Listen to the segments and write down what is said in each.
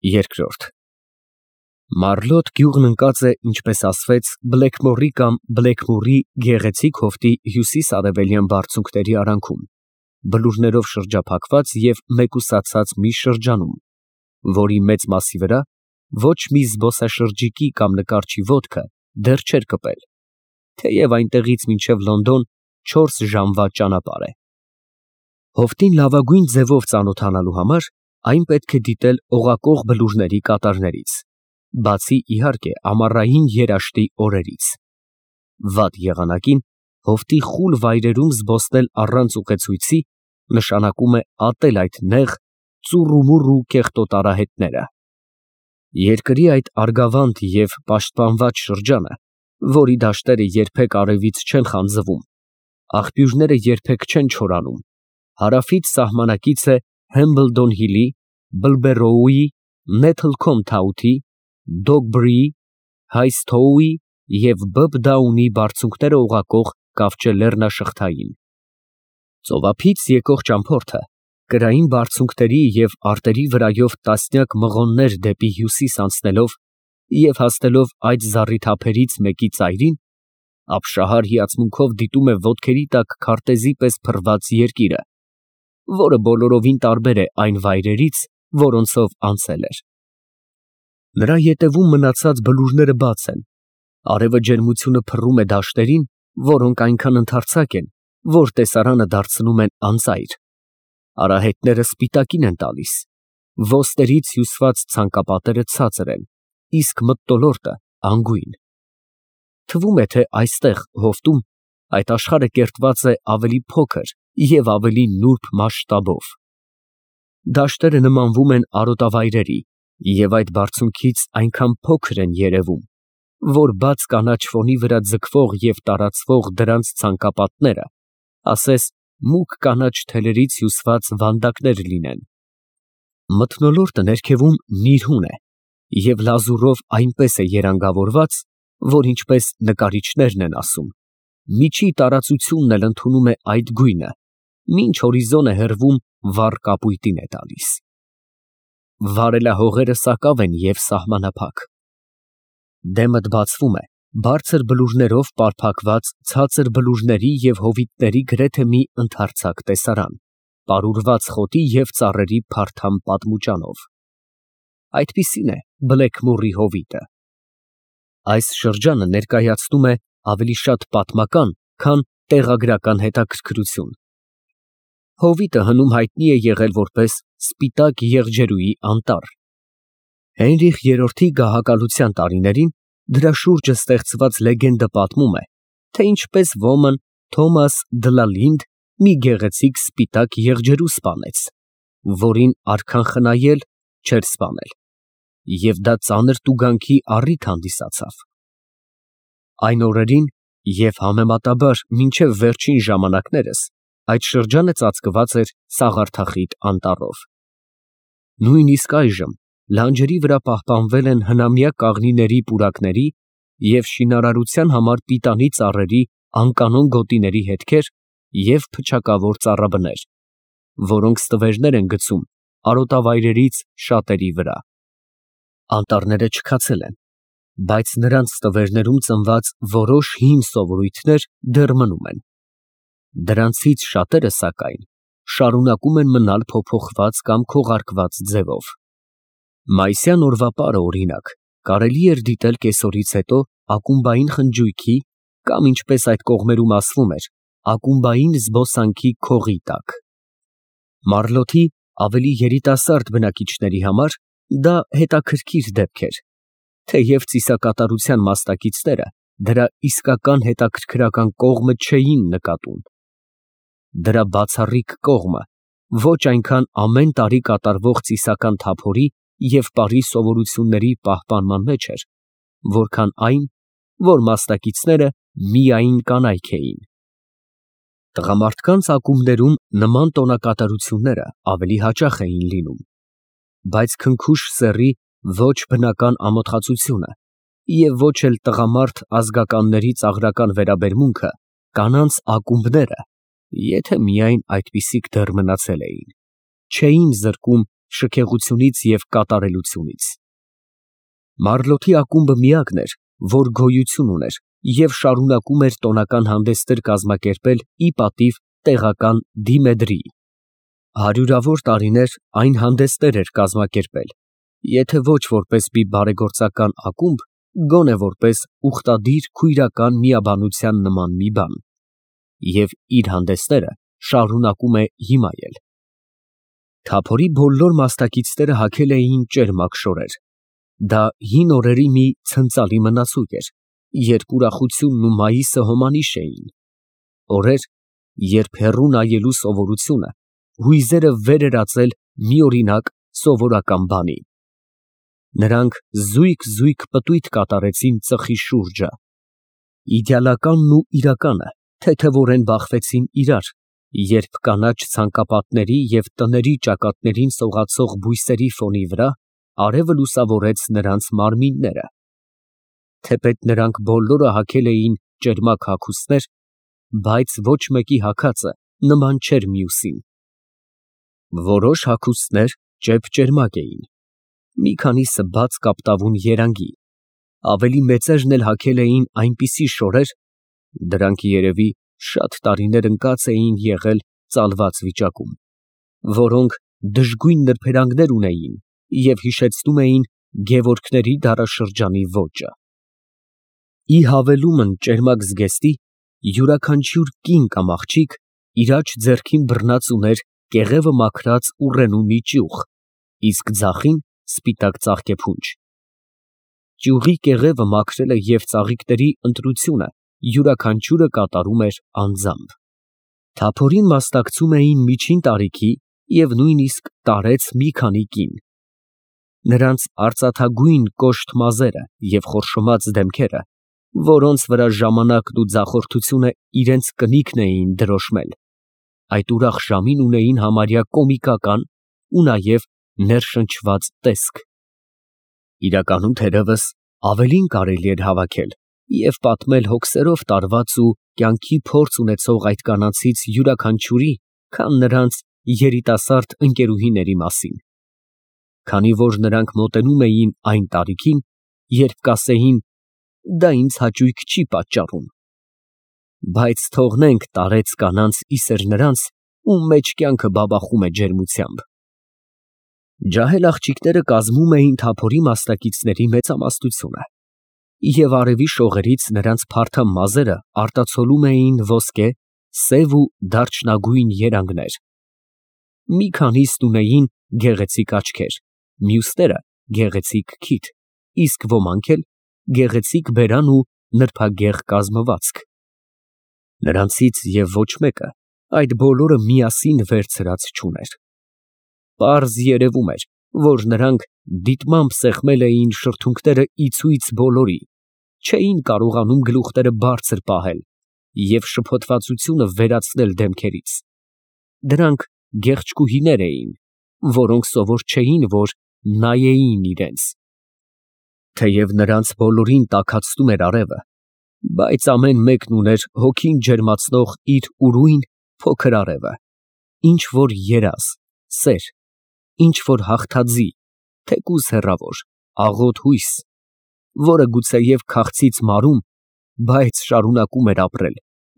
Երկրորդ Մարլոտ գյուղն ընկած է, ինչպես ասվեց, Բլեքմորի կամ Բլեքմուրի գեղեցիկ հովտի հյուսիս֊արևելյան բարձունքների արանքում, բլուրներով շրջափակված և մեկուսացած մի շրջանում, որի մեծ մասի վրա ոչ մի զբոսաշրջիկի կամ նկարչի ոտքը դեռ չէր կպել, թեև այնտեղից մինչև Լոնդոն 4 ժամվա ճանապարհ է։ Հովտին լավագույն ձևով ծանոթանալու համար այն պետք է դիտել օղակող բլուրների կատարներից, բացի իհարկե ամառային երաշտի օրերից։ Վատ եղանակին հովտի խուլ վայրերում զբոսնել առանց ուղեցույցի նշանակում է ատել այդ նեղ, ծուռումուռ ու կեղտոտ արահետները։ Երկրի այդ արգավանդ և պաշտպանված շրջանը, որի դաշտերը երբեք արևից չեն խանձվում, աղբյուրները երբեք չեն չորանում, հարավից սահմանակից է Հեմբլդոն Հիլի, Բլբերոուի, Նեթլքոմ Թաութի, Դոգբրիի, Հայսթոուի և Բըբդաունի բարձունքները օղակող կավճե լեռնաշղթային։ Ծովափից եկող ճամփորդը կրային բարձունքների և արտերի վրայով տասնյակ մղոններ դեպի հյուսիս անցնելով և հասնելով այդ զառիթափերից մեկի ծայրին, ապշահար հիացմունքով դիտում է ոտքերի տակ քարտեզի պես փռված երկիրը, որը բոլորովին տարբեր է այն վայրերից, որոնցով անցել էր։ Նրա ետևում մնացած բլուրները բաց են, արևը ջերմությունը փռում է դաշտերին, որոնք այնքան ընդարձակ են, որ տեսարանը դարձնում են անծայր, արահետները սպիտակին են տալիս, ոսկերից հյուսված ցանկապատերը ցածր են, իսկ մթնոլորտը անգույն։ Թվում է, թե այստեղ հովտում այդ աշխարհը կերտված է ավելի փոքր և ավելի նուրբ մասշտաբով։ Դաշտերը նմանվում են արոտավայրերի և այդ բարձունքից այնքան փոքր են երևում, որ բաց կանաչ ֆոնի վրա ձգվող և տարածվող դրանց ցանկապատները ասես մուգ կանաչ թելերից հյուսված վանդակներ լինեն։ Մթնոլորտը ներքևում նիրհուն է և լազուրով այնպես է երանգավորված, որ ինչպես նկարիչներն են ասում, միջի տարածությունն էլ ընդունում է այդ գույնը, մինչ հորիզոնը հեռվում վառ կապույտին է տալիս։ Վարելահողերը սակավ են և սահմանափակ։ Դեմդ բացվում է բարձր բլուրներով պարփակված ցածր բլուրների և հովիտների գրեթե մի ընդարձակ տեսարան, պարուրված խոտի և ծառերի փարթամ պատմուճանով։ Այդպիսին է Բլեքմուրի հովիտը։ Այս շրջանը ներկայացնում է ավելի շատ պատմական, քան տեղագրական հետաքրքրություն։ Հովիտը հնում հայտնի է եղել որպես Սպիտակ եղջերուի անտառ։ Հենրիխ III-ի գահակալության տարիներին դրա շուրջը ստեղծված լեգենդը պատմում է, թե ինչպես ոմն Թոմաս դը Լինդ մի գեղեցիկ սպիտակ եղջերու սպանեց, որին արքան խնայել չէր սպանել, և դա ծանր տուգանքի առիթ հանդիսացավ։ Այն օրերին և համեմատաբար մինչև վերջին ժամանակներս այդ շրջանը ծածկված էր սաղարթախիտ անտառով։ Նույնիսկ այժմ լանջերի վրա պահպանվել են հնամյա կաղնիների պուրակների և շինարարության համար պիտանի ծառերի անկանոն գոտիների հետքեր և փչակավոր ծառաբներ, որոնք ստվերներ են գցում արոտավայրերից շատերի վրա։ Անտառները չքացել են, բայց նրանց ստվերներում ծնված որոշ հին սովորույթներ դեռ մնում են։ Դրանցից շատերը, սակայն, շարունակում են մնալ փոփոխված կամ քողարկված ձևով։ Մայիսյան օրվա պարը, օրինակ, կարելի էր դիտել կեսօրից հետո ակումբային խնջույքի կամ, ինչպես այդ կողմերում ասվում էր, ակումբային զբոսանքի քողի տակ։ Մարլոթի ավելի երիտասարդ բնակիչների համար դա հետաքրքիր դեպք էր, թեև ծիսակատարության մասնակիցները դրա իսկական հետաքրքրական կողմը չէին նկատում։ Դրա բացառիկ կողմը ոչ այնքան ամեն տարի կատարվող ծիսական թափորի և պարի սովորությունների պահպանման մեջ էր, որքան այն, որ մասնակիցները միայն կանայք էին։ Տղամարդկանց ակումբներում նման տոնակատարությունները ավելի հաճախ էին լինում, բայց քնքուշ սեռի ոչ բնական ամոթխածությունը և ոչ էլ տղամարդ ազգականների ծաղրական վերաբերմունքը կանանց ակումբները, եթե միայն այդպիսիք դեռ մնացել էին, չէին զրկում շքեղությունից և կատարելությունից։ Մարլոթի ակումբը միակն էր, որ գոյություն ուներ և շարունակում էր տոնական հանդեսներ կազմակերպել ի պատիվ տեղական դիմեդրի։ Հարյուրավոր տարիներ այն հանդեսներ էր կազմակերպել, եթե ոչ որպես մի բարեգործական ակումբ, գոնե որպես ուխտադիր քույրական միաբանության նման մի բան, և իր հանդեսները շարունակում է հիմա էլ։ Թափորի բոլոր մասնակիցները հագել էին ճերմակ շորեր։ Դա հին օրերի մի ցնծալի մնացույթ էր, երբ ուրախությունն ու մայիսը հոմանիշ էին, օրեր, երբ հեռու նայելու սովորությունը հույզերը վեր էր ածել միօրինակ սովորական բանի։ Նրանք զույգ պտույտ կատարեցին ծխի շուրջը։ Իդեալականն ու իրականը թեթևորեն բախվեցին իրար, երբ կանաչ ցանկապատների և տների ճակատներին սողացող բույսերի ֆոնի վրա արևը լուսավորեց նրանց մարմինները։ Թեպետ նրանք բոլորը հագել էին ճերմակ հագուստներ, բայց ոչ մեկի հագածը նման չէր մյուսին։ Որոշ հագուստներ ճեպ֊ճերմակ էին, մի քանիսը բաց կապտավուն երանգի, ավելի մեծերն էլ հագել էին այնպիսի շորեր, դրանք երևի շատ տարիներ ընկած էին եղել ծալված վիճակում, որոնք դժգույն նրբերանգներ ունեին և հիշեցնում էին Գևորգների դարաշրջանի ոճը։ Ի հավելումն ճերմակ զգեստի, յուրաքանչյուր կին կամ աղջիկ իր աջ ձեռքին բռնած ուներ կեղևը մաքրած ուռենու մի ճյուղ, իսկ ձախին սպիտակ ծաղկեփունջ։ Ճյուղի կեղևը մաքրելը և ծաղիկների ընտրությունը յուրաքանչյուրը կատարում էր անձամբ։ Թափորին մասնակցում էին միջին տարիքի և նույնիսկ տարեց մի քանի կին։ Նրանց արծաթագույն կոշտ մազերը և խորշոմած դեմքերը, որոնց վրա ժամանակն ու ձախորդությունը իրենց կնիքն էին դրոշմել, այդ ուրախ ժամին ունեին համարյա կոմիկական ու նաև ներշնչված տեսք։ Իրականում, թերևս, ավելին կարելի էր հավաքել և պատմել հոգսերով տարված ու կյանքի փորձ ունեցող այդ կանանցից յուրաքանչյուրի, քան նրանց երիտասարդ ընկերուհիների մասին, քանի որ նրանք մոտենում էին այն տարիքին, երբ կասեին. «Դա ինձ հաճույք չի պատճառում»։ Բայց թողնենք տարեց կանանց իսեր նրանց, ում մեջ կյանքը բաբախում է ջերմությամբ։ Ջահել աղջիկները կազմում էին թափորի մասնակիցների մեծամասնությունը, և արևի շողերից նրանց փարթամ մազերը արտացոլում էին ոսկե, սև ու դարչնագույն երանգներ։ Մի քանիսն ունեին գեղեցիկ աչքեր, մյուսները գեղեցիկ քիթ, իսկ ոմանք էլ գեղեցիկ բերան ու նրբագեղ կազմվածք։ Նրանցից և ոչ մեկը այդ բոլորը միասին վերցրած չուներ։ Պարզ երևում էր, որ նրանք դիտմամբ սեղմել էին շրթունքները ի ցույց բոլորի, չէին կարողանում գլուխները բարձր պահել և շփոթվածությունը վերացնել դեմքերից։ Դրանք գեղչկուհիներ էին, որոնք սովոր չէին, որ նայեին իրենց։ Թեև նրանց բոլորին տաքացնում էր արևը, բայց ամեն մեկն ուներ հոգին ջերմացնող իր ուրույն փոքր արևը, ինչ որ երազ, սեր, ինչ որ հաղթաձի, թեկուզ հեռավոր, աղոտ հույս, որը գուցեև քաղցից մարում, բայց շարունակում էր ապրել,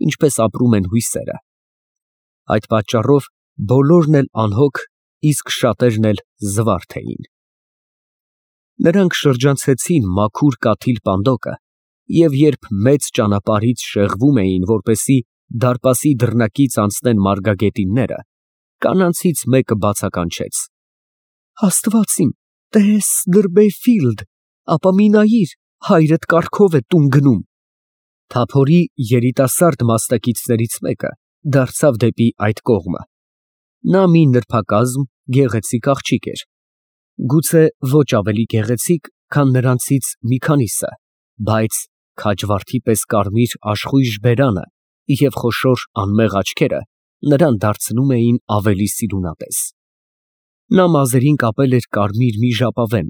ինչպես ապրում են հույսերը։ Այդ պատճառով բոլորն էլ անհոգ, իսկ շատերն էլ զվարթ էին։ Նրանք շրջանցեցին մաքուր կաթիլ պանդոկը, և երբ մեծ ճանապարհից շեղվում էին, որպեսզի դարպասի դռնակից անցնեն մարգագետինները, կանանցից մեկը բացականչեց. «Աստված իմ, տես Դըրբեյֆիլդ, ապա մի նայիր, հայրդ կառքով է տուն գնում»։ Թափորի երիտասարդ մասնակիցներից մեկը դարձավ դեպի այդ կողմը։ Նա մի նրբակազմ, գեղեցիկ աղջիկ էր, գուցե ոչ ավելի գեղեցիկ, քան նրանցից մի քանիսը, բայց քաջվարդի պես կարմիր աշխույժ բերանը և խոշոր անմեղ աչքերը նրան դարձնում էին ավելի սիրունատես։ Նա մազերին կապել էր կարմիր մի ժապավեն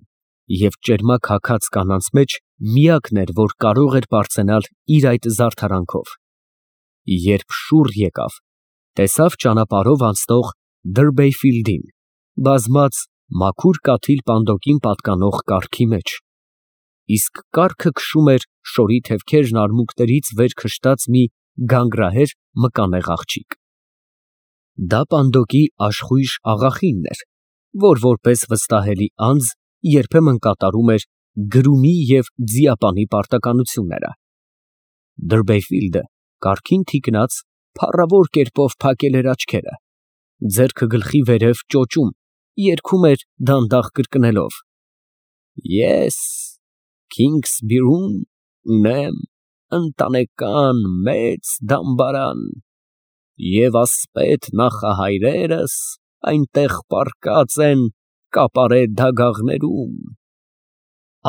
և ճերմակ հագած կանանց մեջ միակն էր, որ կարող էր պարծենալ իր այդ զարդարանքով։ Երբ շուռ եկավ, տեսավ ճանապարհով անցնող Դըրբեյֆիլդին, բազմած մաքուր կաթիլ պանդոկին պատկանող կառքի մեջ, իսկ կառքը քշում էր շորի թևքերն արմունկներից վեր քշտած մի գանգրահեր մկանեղ աղջիկ։ Դա պանդոկի աշխույժ աղախինն էր, որ որպես վստահելի անձ երբեմն կատարում էր գրումի և ձիապանի պարտականությունները։ Դրբեֆիլդը կառքին թիկնած փառավոր կերպով փակել էր աչքերը, ձեռքը գլխի վերև ճոճում, երգում էր դանդաղ կրկնելով. Ես Քինգսբերում ունեմ ընտանեկան մեծ դամբարան, և ասպետ նախահայրերս այնտեղ պառկած են կապարե դագաղներում։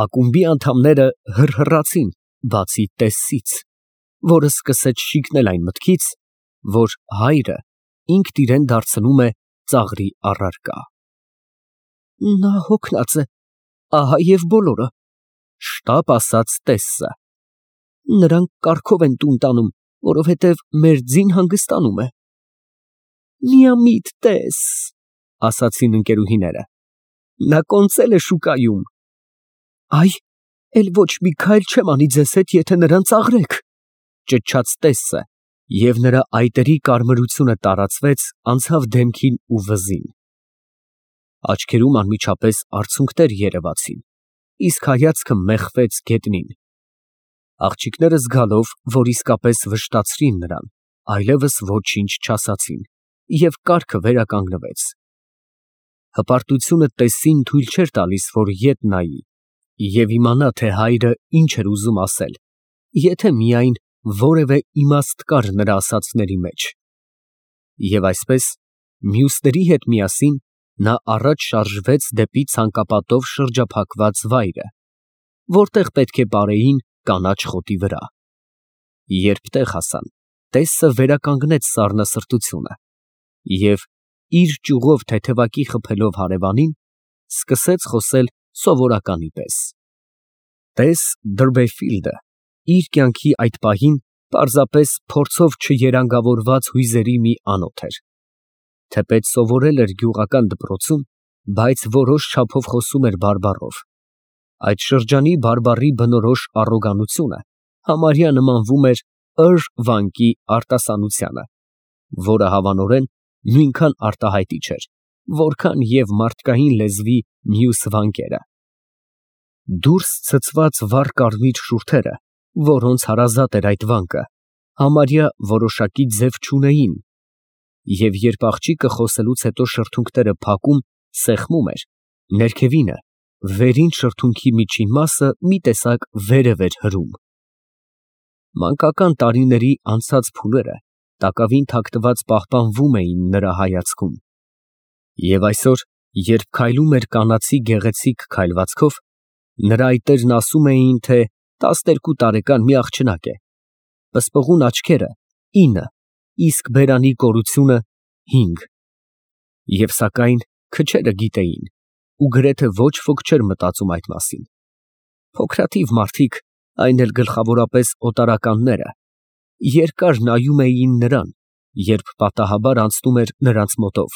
Ակումբի անդամները հռհռացին, բացի Տեսսից, որը սկսեց շիկնել այն մտքից, որ հայրը ինքն իրան դարձնում է ծաղրի առարկա։ Նա հոգնած է, ահա և բոլորը, շտապ ասաց Տեսսը։ Նրանք կառքով են տուն տանում, որովհետև մեր ձին հանգստանում է։ Միամիտ տես, ասացին ընկերուհիները, նա կոնծել է շուկայում։ Այ, էլ ոչ մի քայլ չեմ անի ձեզ հետ, եթե նրան ծաղրեք, ճչաց Տեսսը, և նրա այտերի կարմրությունը տարածվեց, անցավ դեմքին ու վզին։ Աչքերում անմիջապես արցունքներ երևացին, իսկ հայացքը մեխվեց գետնին։ Աղջիկները զգալով, որ իսկապես վշտացրին նրան, այլևս ոչինչ չասացին, և կառքը վերականգնվեց։ Հպարտությունը Տեսսին թույլ չէր տալիս, որ ետ նայի և իմանա, թե հայրը ինչ էր ուզում ասել, եթե միայն որևէ իմաստ կար նրա ասածների մեջ։ Եվ այսպես, մյուսների հետ միասին նա առաջ շարժվեց դեպի ցանկապատով շրջափակված վայրը, որտեղ պետք է պարեին կանաչ խոտի վրա։ Երբ տեղ հասան, Տեսսը վերականգնեց սառնասրտությունը և, իր ճյուղով թեթևակի խփելով հարևանին, սկսեց խոսել սովորականի պես։ Տես Դրբեֆիլդը իր կյանքի այդ պահին պարզապես փորձով չերանգավորված հույզերի մի անոթ էր։ Թեպետ սովորել էր գյուղական դպրոցում, բայց որոշ չափով խոսում էր բարբառով։ Այդ շրջանի բարբառի բնորոշ առոգանությունը համարյա նմանվում էր վանկի արտասանությանը, որը հավանորեն նույնքան արտահայտիչ էր, որքան և մարդկային լեզվի մյուս վանկերը։ Դուրս ցցված վառ կարմիր շուրթերը, որոնց հարազատ էր այդ վանկը, համարյա որոշակի ձև չունեին, և երբ աղջիկը խոսելուց հետո շրթունքները փակում, սեղմում էր, ներքևինը, վերին շրթունքի միջին մասը մի տեսակ վերև էր հրում։ Մանկական տարիների անցած փուլերը տակավին թաքնված պահպանվում էին նրա հայացքում։ Եվ այսօր, երբ քայլում էր կանացի գեղեցիկ քայլվածքով, նրա այտերն ասում էին, թե 12 տարեկան մի աղջնակ է, պսպղուն աչքերը 9, իսկ բերանի կորությունը 5։ Եվ սակայն քչերը գիտեին, ու գրեթե ոչ ոք չէր մտածում այդ մասին։ Փոքրաթիվ մարդիկ, այն էլ գլխավորապես օտարականները, երկար նայում էին նրան, երբ պատահաբար անցնում էր նրանց մոտով,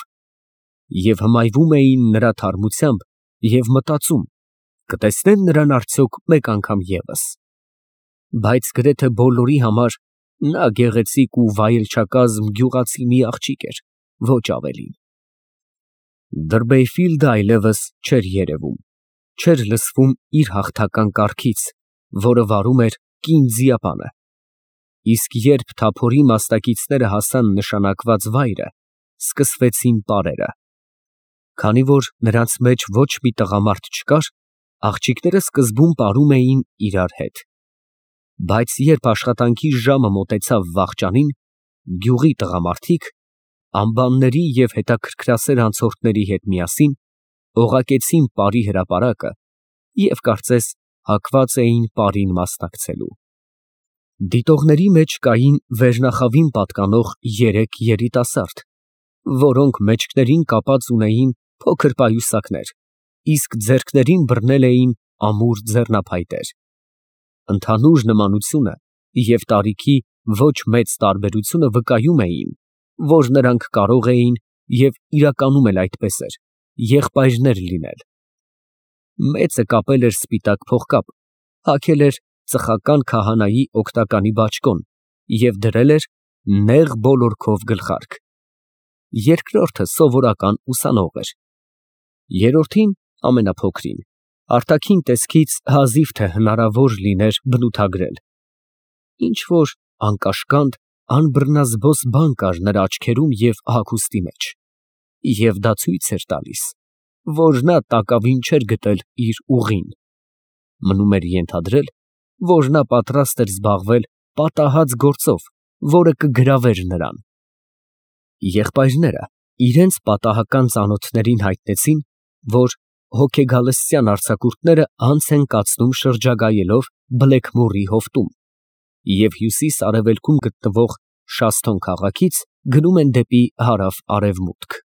և հմայվում էին նրա թարմությամբ և մտածում. կտեսնեն նրան արդյոք մեկ անգամ ևս։ Բայց գրեթե բոլորի համար նա գեղեցիկ ու վայելչակազմ գյուղացի մի աղջիկ էր, ոչ ավելին։ Դրբեֆիլդը այլևս չէր երևում, չէր լսվում իր հաղթական կառքից, որը վարում էր կին ձիապանը։ Իսկ երբ թափորի մասնակիցները հասան նշանակված վայրը, սկսվեցին պարերը։ Քանի որ նրանց մեջ ոչ մի տղամարդ չկար, աղջիկները սկզբում պարում էին իրար հետ։ Բայց երբ աշխատանքի ժամը մոտեցավ վախճանին, գյուղի տղամարդիկ, անբանների և հետաքրքրասեր անցորդների հետ միասին, օղակեցին պարի հրապարակը և կարծես հակված էին պարին մասնակցելու։ Դիտողների մեջ կային վերնախավին պատկանող 3 երիտասարդ, որոնք մեջքներին կապած ունեին փոքր պայուսակներ, իսկ ձեռքներին բռնել էին ամուր ձեռնափայտեր։ Ընդհանուր նմանությունը և տարիքի ոչ մեծ տարբերությունը վկայում էին, որ նրանք կարող էին և իրականում էլ այդպես էր, եղբայրներ լինել։ Մեծը կապել էր սպիտակ փողկապ, հագել էր ծխական քահանայի օգտականի բաճկոն և դրել էր նեղ բոլորքով գլխարկ։ Երկրորդը սովորական ուսանող էր։ Երրորդին, ամենափոքրին, արտաքին տեսքից հազիվ թե հնարավոր լիներ բնութագրել։ Ինչ-որ անկաշկանդ, անբռնազբոս բան կար նրա աչքերում և հագուստի մեջ, և դա ցույց էր տալիս, որ նա տակավին չէր գտել իր ուղին։ Մնում էր ենթադրել, որ նա պատրաստ էր զբաղվել պատահած գործով, որը կգրավեր նրան։ Եղբայրները իրենց պատահական ծանոթներին հայտնեցին, որ հոգեգալստյան արձակուրդները անց են կացնում շրջագայելով Բլեքմորի հովտում և հյուսիս֊արևելքում գտնվող Շասթոն քաղաքից գնում են դեպի հարավ֊արևմուտք։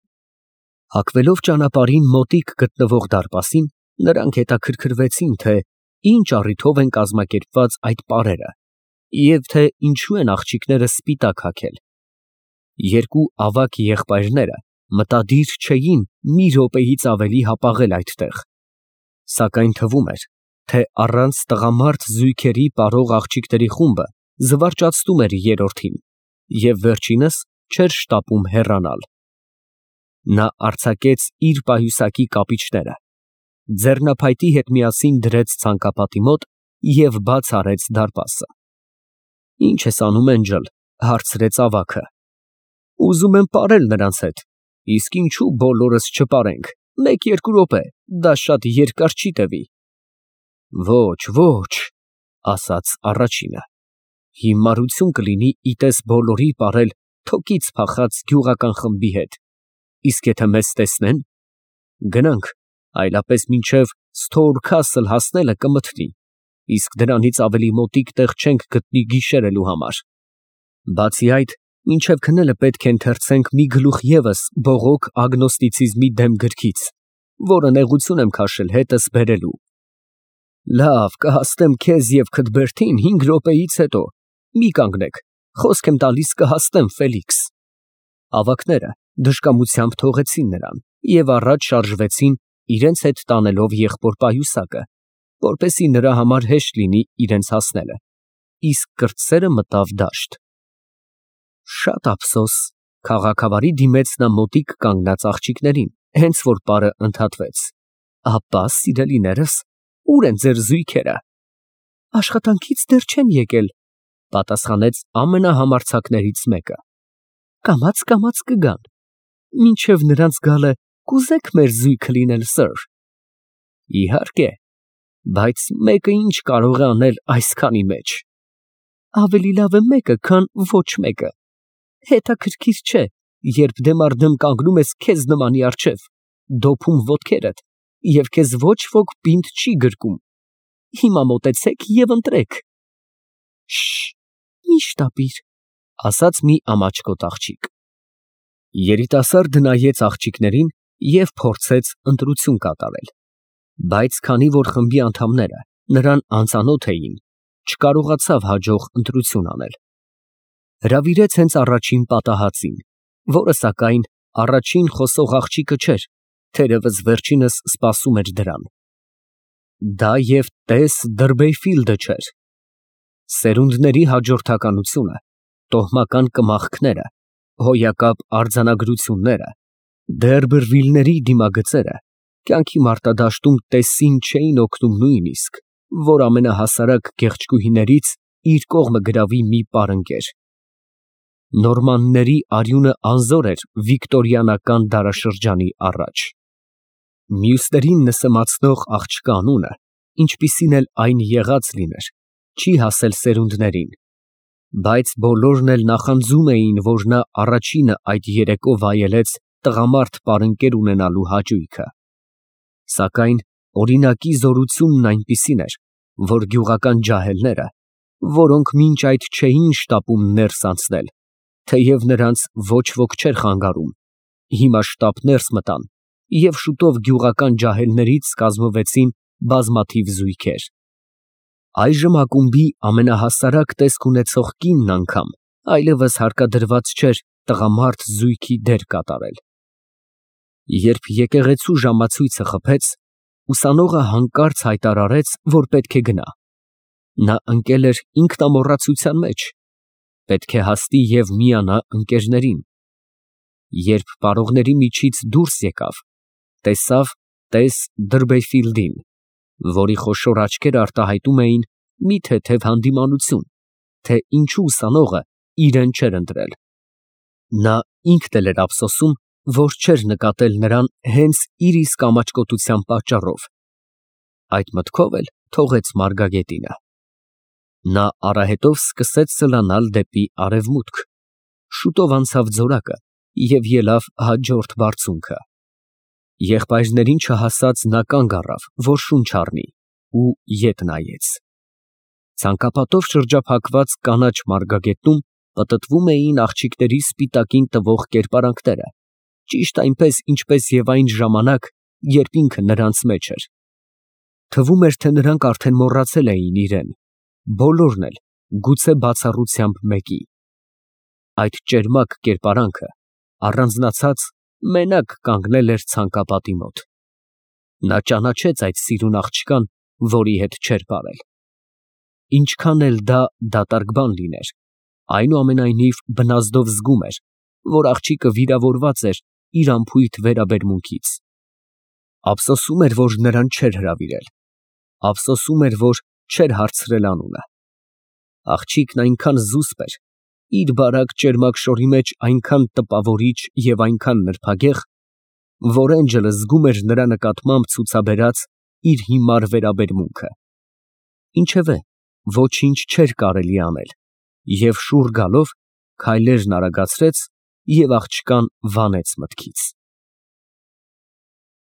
Հակվելով ճանապարհին մոտիկ գտնվող դարպասին, նրանք հետաքրքրվեցին, թե ինչ առիթով են կազմակերպված այդ պարերը և թե ինչու են աղջիկները սպիտակ հագել։ Երկու ավագ եղբայրները մտադիր չէին մի րոպեից ավելի հապաղել այդտեղ, սակայն թվում էր, թե առանց տղամարդ զույգերի պարող աղջիկների խումբը զվարճացնում էր երրորդին և վերջինս չէր շտապում հեռանալ։ Նա արձակեց իր պայուսակի կապիչները, ձեռնափայտի հետ միասին դրեց ցանկապատի մոտ և բաց արեց դարպասը։ «Ի՞նչ ես անում, Էնջլ», հարցրեց ավագը։ «Ուզում եմ պարել նրանց հետ, իսկ ինչու բոլորս չպարենք, մեկ֊երկու րոպե, դա շատ երկար չի տևի»։ «Ոչ, ոչ», ասաց առաջինը, «հիմարություն կլինի իտես բոլորի պարել թոկից փախած գյուղական խմբի հետ, իսկ եթե մեզ տեսնեն, գնանք, այլապես մինչև Սթորքասլ հասնելը կմթնի, իսկ դրանից ավելի մոտիկ տեղ չենք գտնի գիշերելու համար։ Բացի այդ, մինչև քնելը պետք է ընթերցենք մի գլուխ ևս բողոք ագնոստիցիզմի դեմ գրքից, որը նեղություն եմ քաշել հետս բերելու»։ «Լավ, կհասնեմ քեզ և քդ բերդին 5 րոպեից հետո, մի կանգնեք, խոսք եմ տալիս կհասնեմ, Ֆելիքս»։ Ավագները դժկամությամբ թողեցին նրան և առաջ շարժվեցին, իրենց հետ տանելով եղբոր պայուսակը, որպեսզի նրա համար հեշտ լինի իրենց հասնելը, իսկ կրտսերը մտավ դաշտ։ Շատ ափսոս, քաղաքավարի դիմեց նա մոտիկ կանգնած աղջիկներին, հենց որ պարը ընդհատվեց։ «Ապա, սիրելիներս, ո՞ւր են ձեր զույգերը»։ «Աշխատանքից դեռ չեն եկել», պատասխանեց ամենահամարձակներից մեկը։ «Կամաց կգան։ Մինչև նրանց գալը կուզե՞ք մեր զույգը լինել, սըր»։ «Իհարկե, բայց մեկը ինչ կարող է անել այսքանի մեջ»։ «Ավելի լավ է մեկը, քան ոչ մեկը։ Հետաքրքիր չէ, երբ դեմ առ դեմ կանգնում ես քեզ նմանի առջև, դոփում ոտքերդ, և քեզ ոչ ոք պինդ չի գրկում։ Հիմա մոտեցեք և ընտրեք»։ «Շշ, մի շտապիր», ասաց մի ամաչկոտ աղջիկ։ Երիտասարդը նայեց աղջիկներին և փորձեց ընտրություն կատարել, բայց քանի որ խմբի անդամները նրան անծանոթ էին, չկարողացավ հաջող ընտրություն անել։ Հրավիրեց հենց առաջին պատահածին, որը սակայն առաջին խոսող աղջիկը չէր, թերևս վերջինս սպասում էր դրան։ Դա և տես Դըրբեյֆիլդը չէր։ Սերունդների հաջորդականությունը, տոհմական կմախքները, հոյակապ արձանագրությունները, Դերբերվիլների դիմագծերը կյանքի մարտադաշտում տեսին չէին օգնում նույնիսկ, որ ամենահասարակ գեղեցկուհիներից իր կողմը գրավի մի պարընկեր։ Նորմանների արյունը անզոր էր վիկտորիանական դարաշրջանի առաջ։ Մյուսներին նսեմացնող աղջկա անունը, ինչպիսին էլ այն եղած լիներ, չի հասել սերունդներին, բայց բոլորն էլ նախանձում էին, որ նա առաջինը այդ երեկո վայելեց տղամարդ պարընկեր ունենալու հաճույքը։ Սակայն օրինակի զորությունն այնպիսին էր, որ գյուղական ջահելները, որոնք մինչ այդ չէին շտապում ներս անցնել, թեև նրանց ոչ ոք չէր խանգարում, հիմա շտապ ներս մտան և շուտով գյուղական ջահելներից կազմվեցին բազմաթիվ զույգեր։ Այժմ ակումբի ամենահասարակ տեսք ունեցող կինն անգամ այլևս հարկադրված չէր տղամարդ զույգի դեր կատարել։ Երբ եկեղեցու ժամացույցը խփեց, ուսանողը հանկարծ հայտարարեց, որ պետք է գնա։ Նա ընկել էր ինքնամոռացության մեջ, պետք է հասնի և միանա ընկերներին։ Երբ պարողների միջից դուրս եկավ, տեսավ տես Դրբեֆիլդին, որի խոշոր աչքերը արտահայտում էին մի թեթև հանդիմանություն, թե ինչու ուսանողը իրեն չէր ընտրել։ Նա ինքն էլ էր ափսոսում, որ չէր նկատել նրան հենց իր իսկ ամաչկոտության պատճառով։ Այդ մտքով էլ թողեց Մարգագետինը։ Նա արահետով սկսեց սլանալ դեպի արևմուտք, շուտով անցավ ձորակը և ելավ հաջորդ բարձունքը։ Եղբայրներին չհասած նա կանգ առավ, որ շունչ առնի, ու ետ նայեց։ Ցանկապատով շրջափակված կանաչ մարգագետնում պտտվում էին աղջիկների սպիտակին տվող կերպարանքները, ճիշտ այնպես, ինչպես և այն ժամանակ, երբ ինքը նրանց մեջ էր։ Թվում էր, թե նրանք արդեն մոռացել էին իրեն, բոլորն էլ, գուցե բացառությամբ մեկի։ Այդ ճերմակ կերպարանքը, առանձնացած, մենակ կանգնել էր ցանկապատի մոտ։ Նա ճանաչեց այդ սիրուն աղջկան, որի հետ չէր պարել։ Ինչքան էլ դա դատարկ բան լիներ, այնուամենայնիվ բնազդով զգում էր, որ աղջիկը վիրավորված էր իր անփույթ վերաբերմունքից։ Ափսոսում էր, որ նրան չէր հրավիրել, ափսոսում էր, որ չէր հարցրել անունը։ Աղջիկն այնքան զուսպ էր, իր բարակ ճերմակ շորի մեջ այնքան տպավորիչ և այնքան նրբագեղ, որ Էնջելը զգում էր նրա նկատմամբ ցուցաբերած իր հիմար վերաբերմունքը։ Ինչևէ, ոչինչ չէր կարելի անել, և շուռ գալով, քայլերն արագացրեց և աղջկան վանեց մտքից։